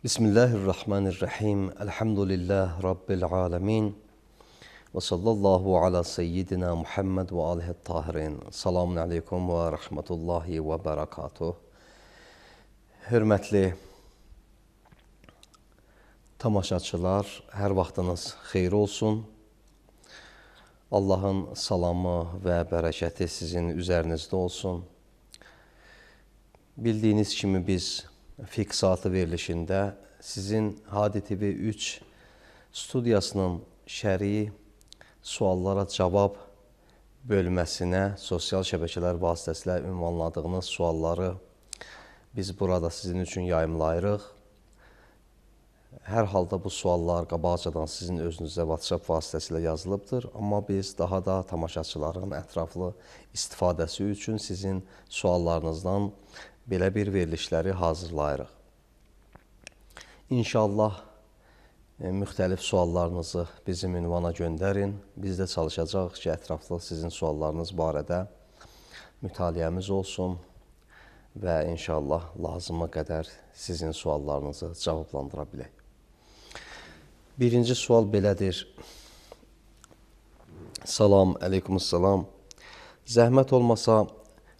Bismillahirrahmanirrahim. Elhamdülillah Rabbil alemin. Ve sallallahu ala seyyidina Muhammed ve alihi tahirin. Selamun aleyküm ve rahmetullahi ve berekatuh. Hörmətli tamaşaçılar, hər vaxtınız xeyir olsun. Allahın salamı və bərəkəti sizin üzərinizdə olsun. Bildiyiniz kimi biz Fiqh Saatı verilişində sizin Hadi TV 3 studiyasının şəri suallara cavab bölməsinə sosial şəbəkələr vasitəsilə ünvanladığınız sualları biz burada sizin üçün yayımlayırıq. Hər halda bu suallar qabaqcadan sizin özünüzə WhatsApp vasitəsilə yazılıbdır. Amma biz daha da tamaşaçıların ətraflı istifadəsi üçün sizin suallarınızdan belə bir verilişləri hazırlayırıq. İnşallah müxtəlif suallarınızı bizim ünvana göndərin. Biz də çalışacağıq ki, ətraflı sizin suallarınız barədə mütaliəmiz olsun və inşallah lazıma qədər sizin suallarınızı cavablandıra bilək. Birinci sual belədir. Salam, aleykümselam. Zəhmət olmasa,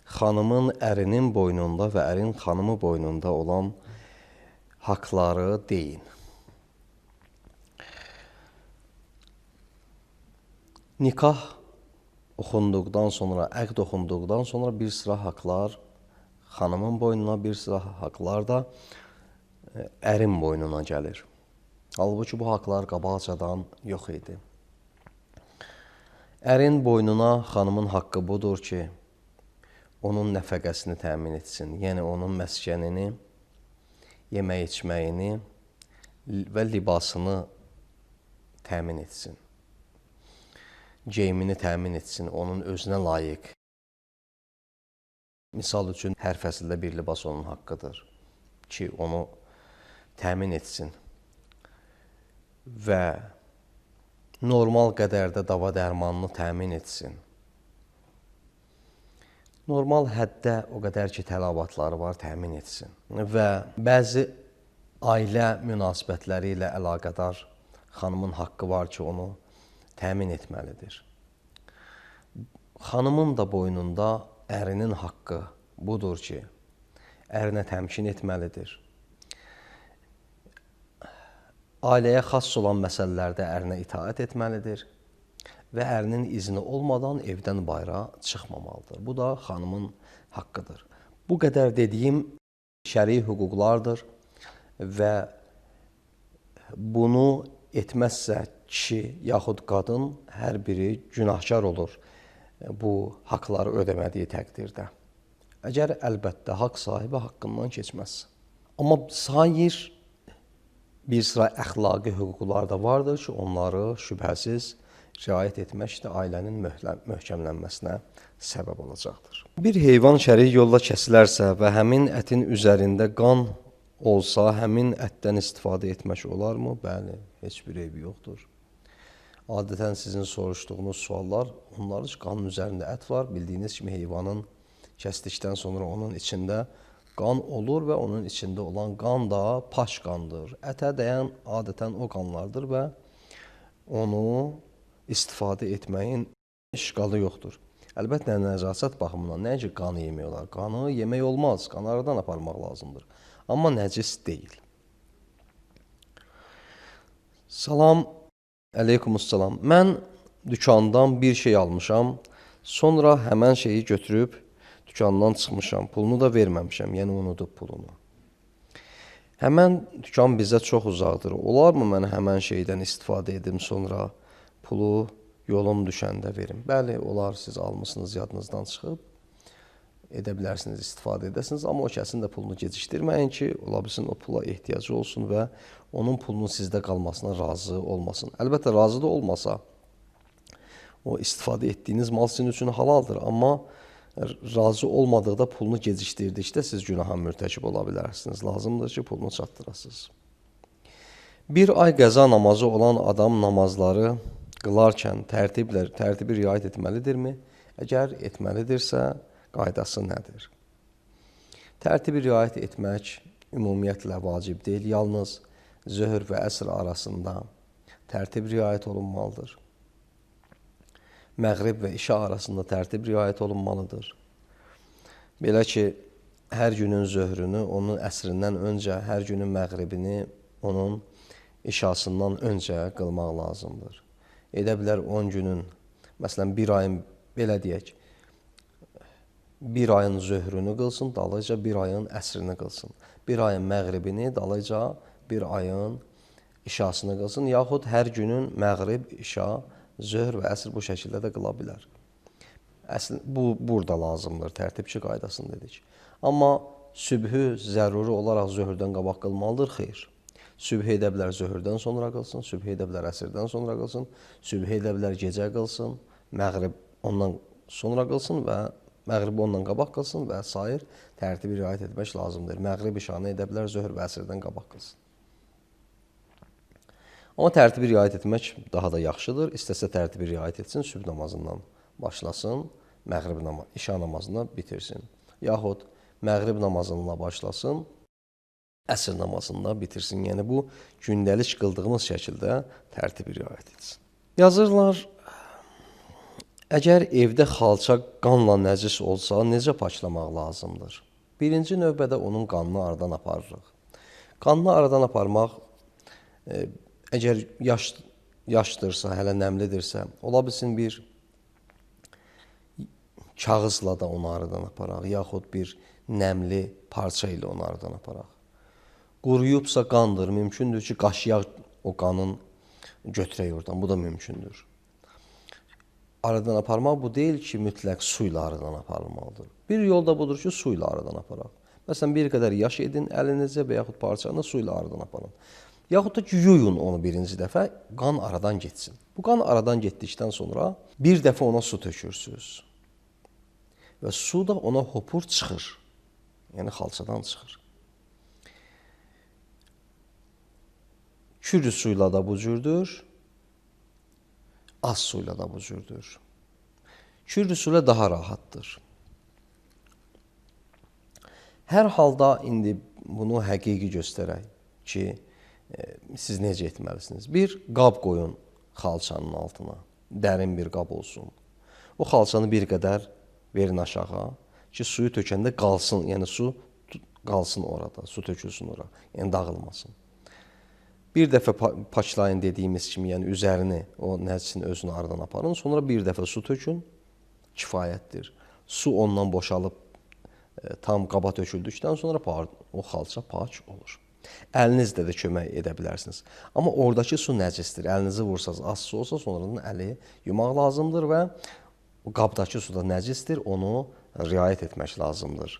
xanımın ərinin boynunda və ərin xanımı boynunda olan haqları deyin. Nikah oxunduqdan sonra, əqd oxunduqdan sonra bir sıra haqlar xanımın boynuna, bir sıra haqlar da ərin boynuna gəlir. Halbuki bu haqlar qabaqcadan yox idi. Ərin boynuna xanımın haqqı budur ki, onun nəfəqəsini təmin etsin. Yəni, onun məskənini, yemək içməyini və libasını təmin etsin. Geyimini təmin etsin, onun özünə layiq. Misal üçün, hər fəsildə bir libas onun haqqıdır ki, onu təmin etsin. Və normal qədərdə dava dərmanını təmin etsin. Normal həddə o qədər ki, tələbatları var, təmin etsin. Və bəzi ailə münasibətləri ilə əlaqədar xanımın haqqı var ki, onu təmin etməlidir. Xanımın da boynunda ərinin haqqı budur ki, ərinə təmkin etməlidir. Ailəyə xas olan məsələlərdə ərinə itaət etməlidir və ərinin izni olmadan evdən bayıra çıxmamalıdır. Bu da xanımın haqqıdır. Bu qədər dediyim şəri hüquqlardır və bunu etməzsə kişi yaxud qadın hər biri günahkar olur bu haqları ödəmədiyi təqdirdə. Əgər əlbəttə haqq sahibi haqqından keçməz. Amma sair bir sıra əxlaqi hüquqlar da vardır ki, onları şübhəsiz riayət etmək də ailənin möhkəmlənməsinə səbəb olacaqdır. Bir heyvan şərik yolla kəsilərsə və həmin ətin üzərində qan olsa, həmin ətdən istifadə etmək olarmı? Bəli, heç bir eybi yoxdur. Adətən sizin soruşduğunuz suallar, onların qanın üzərində ət var. Bildiyiniz kimi heyvanın kəsdikdən sonra onun içində qan olur və onun içində olan qan da paş qandır. Ətə dəyən adətən o qanlardır və onu istifadə etməyin işqalı yoxdur. Əlbəttə, nəcasət baxımından nəinki qanı yemək olar. Qanı yemək olmaz, qanı aradan aparmaq lazımdır. Amma nəcis deyil. Salam, aleykümselam. Mən dükandan bir şey almışam, sonra həmən şeyi götürüb dükandan çıxmışam, pulunu da verməmişəm, yəni unudub pulunu. Həmən dükan bizə çox uzaqdır. Olarmı mən həmən şeydən istifadə edim, sonra pulu yolum düşəndə verim? Bəli, olar, siz almışsınız, yadınızdan çıxıb. edə bilərsiniz, istifadə edəsiniz, amma o kəsin də pulunu gecikdirməyin ki, ola bilsin o pula ehtiyacı olsun və onun pulunun sizdə qalmasına razı olmasın. Əlbəttə, razı da olmasa, o istifadə etdiyiniz mal sizin üçün halaldır, amma razı olmadıqda pulunu gecikdirdikdə siz günaha mürtəkib ola bilərsiniz. Lazımdır ki, pulunu çatdırasınız. Bir ay qəza namazı olan adam namazları qılarkən tərtibi riayət etməlidirmi? Əgər etməlidirsə, qaydası nədir? Tərtibi riayət etmək ümumiyyətlə vacib deyil. Yalnız zöhr və əsr arasında tərtib riayət olunmalıdır. Məğrib və işa arasında tərtib riayət olunmalıdır. Belə ki, hər günün zöhrünü onun əsrindən öncə, hər günün məğribini onun işasından öncə qılmaq lazımdır. Edə bilər 10 günün, məsələn, bir ayın, belə deyək, bir ayın zöhrünü qılsın, dalıca bir ayın əsrini qılsın. Bir ayın məğribini, dalıca bir ayın işasını qılsın, yaxud hər günün məğrib, işa, zöhr və əsr bu şəkildə də qıla bilər. Bu, burada lazımdır, tərtibçi qaydasını dedik. Amma sübhü zəruri olaraq zöhrdən qabaq qılmalıdır, xeyr. Sübh edə bilər zöhrdən sonra qılsın, sübh edə bilər əsrdən sonra qılsın, sübh edə bilər gecə qılsın, məğrib ondan sonra qılsın və məğrib ondan qabaq qılsın və sair tərtibi riayət etmək lazımdır. Məğrib işanı edə bilər zöhr və əsrdən qabaq qılsın. Amma tərtibi riayət etmək daha da yaxşıdır. İstəsə tərtibi riayət etsin, sübh namazından başlasın, məğrib işa namazına bitirsin. Yaxud məğrib namazına başlasın, əsr namazında bitirsin. Yəni, bu gündəlik qıldığımız şəkildə tərtibi riayət etsin. Yazırlar, əgər evdə xalça qanla nəcis olsa, necə paklamaq lazımdır? Birinci növbədə onun qanını aradan aparırıq. Qanını aradan aparmaq, əgər yaşdırsa, hələ nəmlidirsə, ola bilsin bir kağızla da onu aradan aparaq, yaxud bir nəmli parça ilə onu aradan aparaq. Quruyubsa qandır, mümkündür ki, qaşıyaq o qanın götürək oradan, bu da mümkündür. Aradan aparmaq bu deyil ki, mütləq su ilə aradan aparılmalıdır. Bir yol da budur ki, su ilə aradan aparaq. Məsələn, bir qədər yaş edin əlinizə və yaxud parçanı su ilə aradan aparın. Yaxud da ki, yuyun onu birinci dəfə, qan aradan getsin. Bu qan aradan getdikdən sonra bir dəfə ona su tökürsünüz. Və su da ona hopur çıxır. Yəni, xalçadan çıxır. Kürü suyla da bu cürdür, az suyla da bu cürdür. Kürü suyla daha rahatdır. Hər halda indi bunu həqiqi göstərək ki, siz necə etməlisiniz? Bir qab qoyun xalçanın altına, dərin bir qab olsun. O xalçanı bir qədər verin aşağı ki, suyu tökəndə qalsın, yəni su qalsın orada, su tökülsün ora, yəni dağılmasın. Bir dəfə paçlayın dediyimiz kimi, yəni üzərini, o nəcisin özünü aradan aparın, sonra bir dəfə su tökün, kifayətdir. Su ondan boşalıb tam qaba töküldükdən sonra o xalça pak olur. Əlinizlə də kömək edə bilərsiniz. Amma oradakı su nəcisdir. Əlinizi vursanız, az su olsa sonradan əli yumaq lazımdır və o qabdakı su da nəcisdir, onu riayət etmək lazımdır.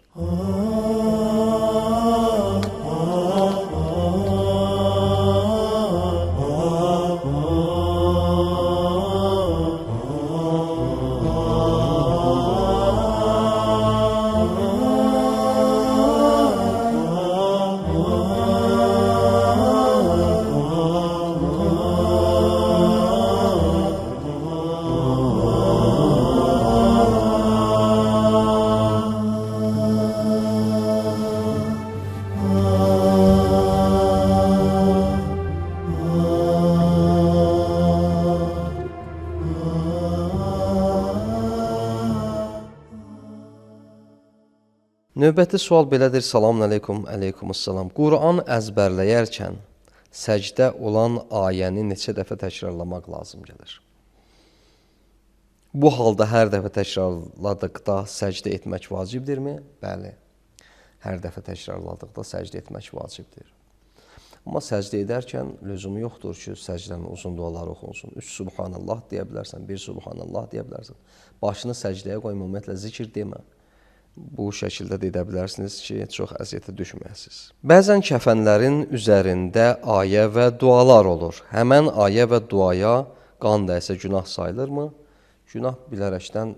Növbəti sual belədir. Salamun aleykum, aleykumussalam. Quran əzbərləyərkən səcdə olan ayəni neçə dəfə təkrarlamaq lazım gəlir? Bu halda hər dəfə təkrarladıqda səcdə etmək vacibdirmi? Bəli, hər dəfə təkrarladıqda səcdə etmək vacibdir. Amma səcdə edərkən lüzumu yoxdur ki, səcdənin uzun duaları oxunsun. 3 Subhanallah deyə bilərsən, 1 Subhanallah deyə bilərsən. Başını səcdəyə qoy, ümumiyyətlə zikr demə. Bu şəkildə də edə bilərsiniz ki, çox əziyyətə düşməyəsiniz. Bəzən kəfənlərin üzərində ayə və dualar olur. Həmən ayə və duaya qan dəysə günah sayılırmı? Günah bilərəkdən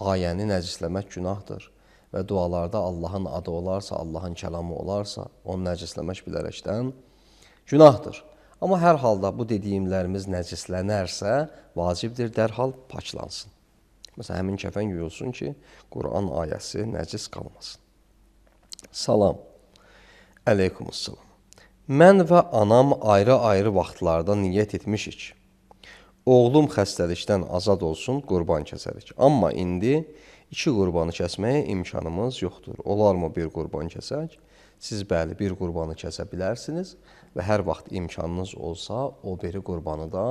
ayəni nəcisləmək günahdır. Və dualarda Allahın adı olarsa, Allahın kəlamı olarsa, onu nəcisləmək bilərəkdən günahdır. Amma hər halda bu dediyimlərimiz nəcislənərsə, vacibdir dərhal paklansın. Məsələn, həmin kəfən yuyulsun ki, Quran ayəsi nəcis qalmasın. Salam. Əleykumussalam. Mən və anam ayrı-ayrı vaxtlarda niyyət etmişik. Oğlum xəstəlikdən azad olsun, qurban kəsərik. Amma indi 2 qurbanı kəsməyə imkanımız yoxdur. Olarmı bir qurban kəsək? Siz bəli, bir qurbanı kəsə bilərsiniz və hər vaxt imkanınız olsa, o biri qurbanı da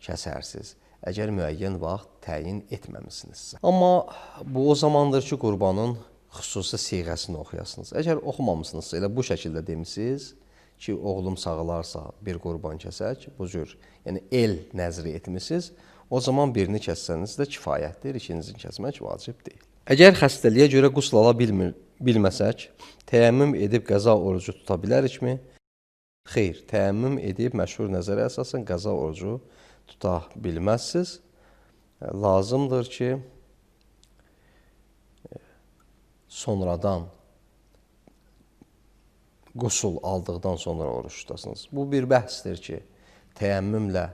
kəsərsiniz. Əgər müəyyən vaxt təyin etməmisinizsə. Amma bu o zamandır ki, qurbanın xüsusi siğəsini oxuyasınız. Əgər oxumamısınızsa, elə bu şəkildə demisiniz ki, oğlum sağılarsa bir qurban kəsək, bu cür, yəni el nəzri etmişsiniz, o zaman birini kəssəniz də kifayətdir, ikincini kəsmək vacib deyil. Əgər xəstəliyə görə qusl ala bilməsək, təyəmmüm edib qəza orucu tuta bilərikmi? Xeyr, təyəmmüm edib məşhur nəzərə əsasən qəza orucu tuta bilməzsiniz. Lazımdır ki, sonradan qusul aldıqdan sonra oruç tutasınız. Bu bir bəhsdir ki, təyəmmümlə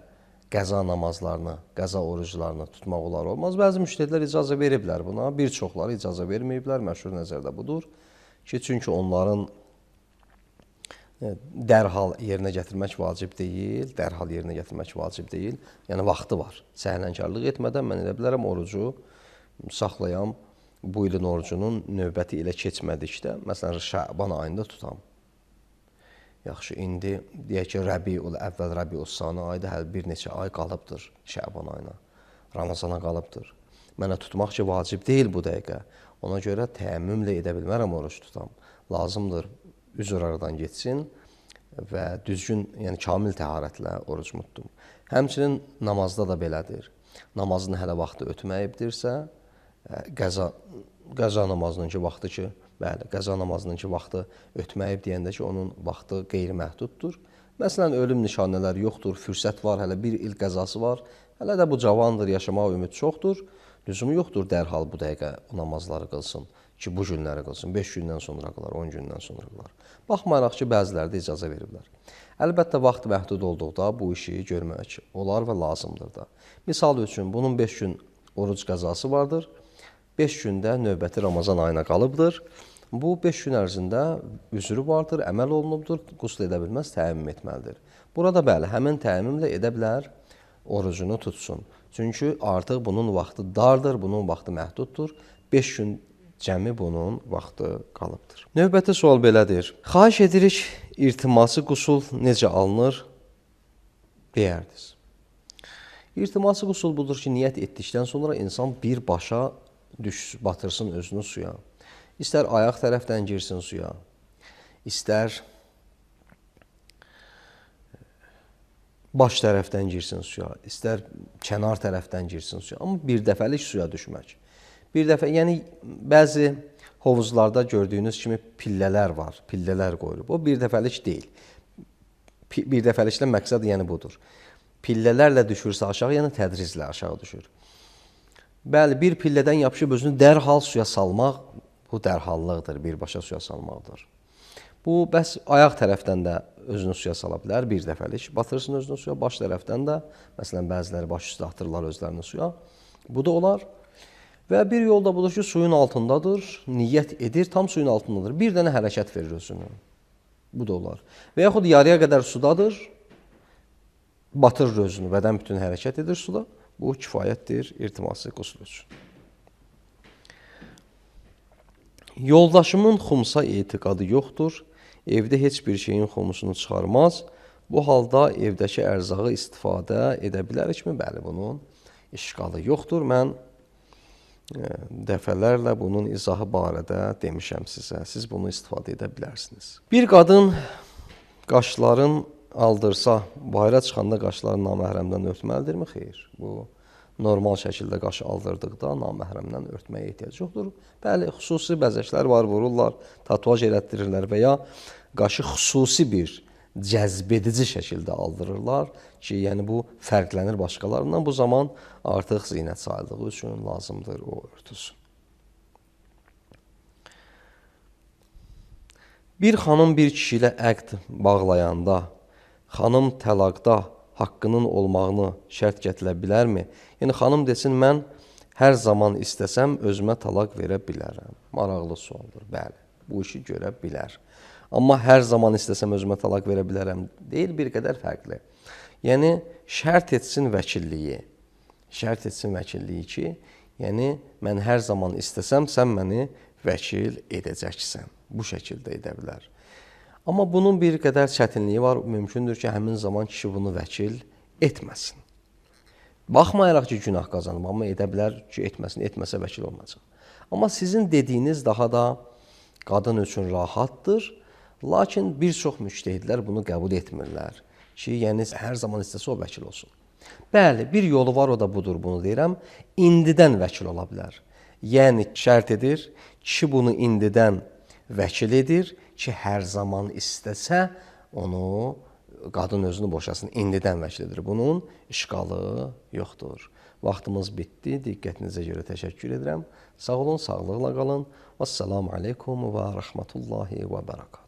qəza namazlarını, qəza oruclarını tutmaq olar olmaz. Bəzi müştəhidlər icazə veriblər buna, bir çoxları icazə verməyiblər. Məşhur nəzərdə budur ki, çünki onların dərhal yerinə gətirmək vacib deyil, yəni vaxtı var. Səhlənkarlıq etmədən mən elə bilərəm orucu saxlayam, bu ilin orucunun növbəti ilə keçmədikdə, məsələn, Şəban ayında tutam. Yaxşı, indi deyək ki, Rəbiul əvvəl, Rəbiul sani ayda hələ bir neçə ay qalıbdır Şəban ayına, Ramazana qalıbdır. Mənə tutmaq ki, vacib deyil bu dəqiqə. Ona görə təyəmmümlə edə bilmərəm oruç tutam. Lazımdır üzr aradan geçsin və düzgün, yəni kamil təharətlə oruc tutdum. Həmçinin namazda da belədir. Namazın hələ vaxtı ötməyibdirsə, qəza namazının ki, vaxtı ki, bəli, qəza namazının ki, vaxtı ötməyib deyəndə ki, onun vaxtı qeyri-məhduddur. Məsələn, ölüm nişanələri yoxdur, fürsət var, hələ bir il qəzası var, hələ də bu cavandır, yaşamaq ümid çoxdur. Lüzumu yoxdur dərhal bu dəqiqə o namazları qılsın ki, bu günləri qılsın, 5 gündən sonra qılar, 10 gündən sonra qılar. Baxmayaraq ki, bəziləri də icazə veriblər. Əlbəttə, vaxt məhdud olduqda bu işi görmək olar və lazımdır da. Misal üçün, bunun 5 gün oruc qəzası vardır, 5 gündə növbəti Ramazan ayına qalıbdır. Bu 5 gün ərzində üzrü vardır, əməl olunubdur, qusl edə bilməz, təyəmmüm etməlidir. Burada bəli, həmin təyəmmümlə edə bilər, orucunu tutsun. Çünki artıq bunun vaxtı dardır, bunun vaxtı məhduddur. 5 gün cəmi bunun vaxtı qalıbdır. Növbəti sual belədir. Xahiş edirik, irtiması qusul necə alınır? Deyərdiniz. İrtiması qusul budur ki, niyyət etdikdən sonra insan birbaşa batırsın özünü suya. İstər ayaq tərəfdən girsin suya, istər baş tərəfdən girsin suya, istər kənar tərəfdən girsin suya. Amma bir dəfəlik suya düşmək. Bir dəfə, yəni bəzi hovuzlarda gördüyünüz kimi pillələr var, pillələr qoyulub. O bir dəfəlik deyil. Bir dəfəliklə məqsəd yəni budur. Pillələrlə düşürsə aşağı, yəni tədriclə aşağı düşür. Bəli, bir pillədən yapışıb özünü dərhal suya salmaq, bu dərhallıqdır, birbaşa suya salmaqdır. Bu, bəs ayaq tərəfdən də özünü suya sala bilər, bir dəfəlik. Batırsın özünü suya, baş tərəfdən də, məsələn, bəziləri baş üstə atırlar özlərini suya. Bu da olar. Və bir yol da budur ki, suyun altındadır, niyyət edir, tam suyun altındadır. Bir dənə hərəkət verir özünü. Bu da olar. Və yaxud yarıya qədər sudadır, batırır özünü, bədən bütün hərəkət edir suda. Bu kifayətdir irtiması qusl üçün. Yoldaşımın xumsa etiqadı yoxdur. Evdə heç bir şeyin xumusunu çıxarmaz. Bu halda evdəki ərzağı istifadə edə bilərikmi? Bəli, bunun işğalı yoxdur. Mən dəfələrlə bunun izahı barədə demişəm sizə. Siz bunu istifadə edə bilərsiniz. Bir qadın qaşların aldırsa, bayıra çıxanda qaşları naməhrəmdən örtməlidirmi? Xeyr. Bu normal şəkildə qaşı aldırdıqda naməhrəmdən örtməyə ehtiyac yoxdur. Bəli, xüsusi bəzəklər var, vururlar, tatuaj elətdirirlər və ya qaşı xüsusi bir cəzbedici şəkildə aldırırlar ki, yəni bu fərqlənir başqalarından. Bu zaman artıq zinət sayıldığı üçün lazımdır o örtüsün. Bir xanım bir kişi ilə əqd bağlayanda, xanım təlaqda haqqının olmağını şərt gətirə bilərmi? Yəni, xanım desin, mən hər zaman istəsəm özümə talaq verə bilərəm. Maraqlı sualdır, bəli, bu işi görə bilər. Amma hər zaman istəsəm özümə talaq verə bilərəm deyil, bir qədər fərqli. Yəni, şərt etsin vəkilliyi. Şərt etsin vəkilliyi ki, yəni, mən hər zaman istəsəm, sən məni vəkil edəcəksən. Bu şəkildə edə bilər. Amma bunun bir qədər çətinliyi var. Mümkündür ki, həmin zaman kişi bunu vəkil etməsin. Baxmayaraq ki, günah qazanıb, amma edə bilər ki, etməsin, etməsə vəkil olmayacaq. Amma sizin dediyiniz daha da qadın üçün rahatdır. Lakin bir çox müctəhidlər bunu qəbul etmirlər ki, yəni hər zaman istəsə o vəkil olsun. Bəli, bir yolu var, o da budur, bunu deyirəm. İndidən vəkil ola bilər. Yəni, şərt edir, kişi bunu indidən vəkil edir ki, hər zaman istəsə onu qadın özünü boşasın, indidən vəkil edir. Bunun işqalı yoxdur. Vaxtımız bitdi. Diqqətinizə görə təşəkkür edirəm. Sağ olun, sağlıqla qalın. Vəssalamu aleykum və rəhmətullahi və bərəkatuhu.